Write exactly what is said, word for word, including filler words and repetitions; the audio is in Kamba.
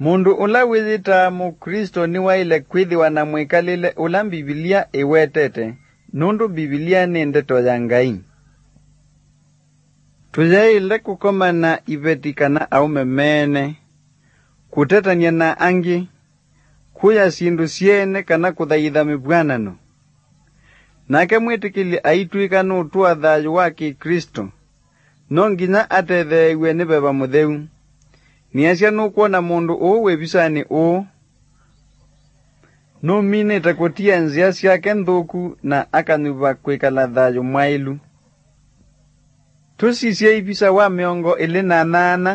Mũndũ ũla wĩyĩtaa Mũklĩsto nĩwaĩle kwĩthĩwa na mwĩkalĩle ũla Mbivilia ĩwetete, nũndũ Mbivilia nĩ Ndeto ya Ngai. Tũyaĩle kũkoma na iveti kana aũme meene, kũtetany'a na angĩ, kũya syĩndũ syeene kana kũthaitha mĩvw'anano. Nake mwĩtĩkĩli aitw'ĩka nũtũa thayũ wa Kĩklĩsto, no nginya atetheew'e nĩ Veva Mũtheu. Nĩasya nũkwona mũndũ ũũ wĩvisanĩ ũũ nũminĩte kũtia nzĩa syake nthũku na akanyuva kwĩkala thayũ mwaĩlu. Tũsisye ivisa wa mĩongo ĩlĩ na nyaanya,